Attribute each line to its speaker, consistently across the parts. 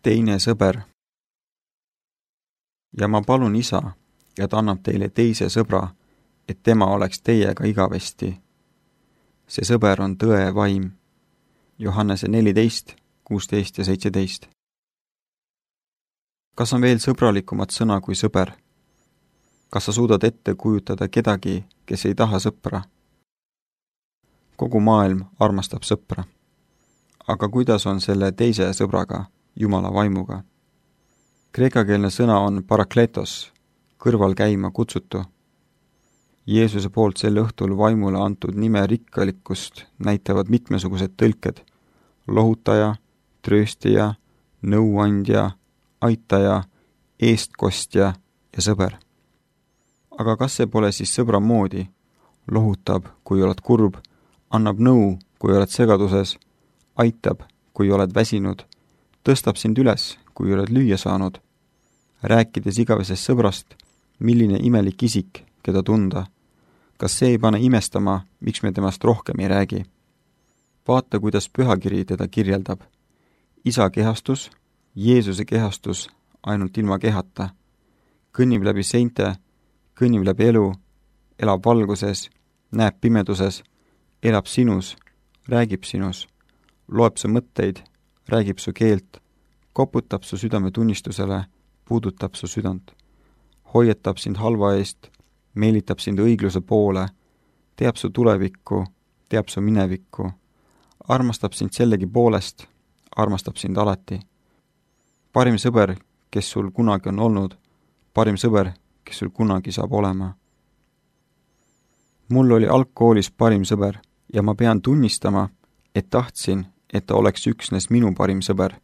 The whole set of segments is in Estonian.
Speaker 1: Teine sõber. Ja ma palun Isa, et annab teile teise sõbra, et tema oleks teiega igavesti. See sõber on tõe vaim. Johannese 14, 16 ja 17. Kas on veel sõbralikumat sõna kui sõber? Kas sa suudad ette kujutada kedagi, kes ei taha sõpra? Kogu maailm armastab sõpra. Aga kuidas on selle teise sõbraga, Jumala vaimuga? Kreekakeelne sõna on parakletos, kõrval käima kutsutu. Jeesuse poolt sel õhtul vaimule antud nime rikkalikkust näitavad mitmesugused tõlked: lohutaja, trööstija, nõuandja, aitaja, eestkostja ja sõber. Aga kas see pole siis sõbra moodi? Lohutab, kui oled kurb, annab nõu, kui oled segaduses, aitab, kui oled väsinud, tõstab sind üles, kui oled lüüa saanud. Rääkides igavesest sõbrast, milline imelik isik, keda tunda. Kas see ei pane imestama, miks me temast rohkem ei räägi? Vaata, kuidas pühakiri teda kirjeldab. Isa kehastus, Jeesuse kehastus ainult ilma kehata. Kõnnib läbi seinte, kõnnib läbi elu, elab valguses, näeb pimeduses, elab sinus, räägib sinus, loeb su mõtteid, räägib su keelt, koputab su südame tunnistusele, puudutab su südant, hoiatab sind halva eest, meelitab sind õigluse poole, teab su tulevikku, teab su minevikku, armastab sind sellegi poolest, armastab sind alati. Parim sõber, kes sul kunagi on olnud, parim sõber, kes sul kunagi saab olema. Mul oli algkoolis parim sõber ja ma pean tunnistama, et tahtsin, et ta oleks üksnes minu parim sõber,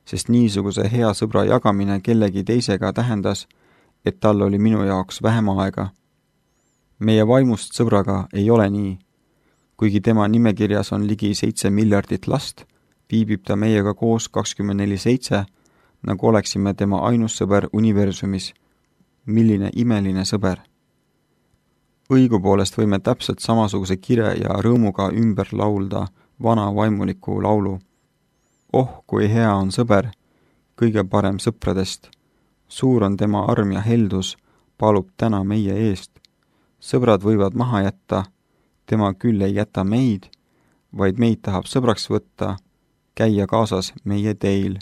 Speaker 1: sest niisuguse hea sõbra jagamine kellegi teisega tähendas, et tal oli minu jaoks vähem aega. Meie vaimust sõbraga ei ole nii. Kuigi tema nimekirjas on ligi 7 miljardit last, viibib ta meiega koos 24/7, nagu oleksime tema ainus sõber universumis. Milline imeline sõber! Õigupoolest võime täpselt samasuguse kire ja rõõmuga ümber laulda vana vaimuliku laulu. Oh, kui hea on sõber, kõige parem sõpradest. Suur on tema arm ja heldus, palub täna meie eest. Sõbrad võivad maha jätta, tema küll ei jäta meid, vaid meid tahab sõbraks võtta, käia kaasas meie teil.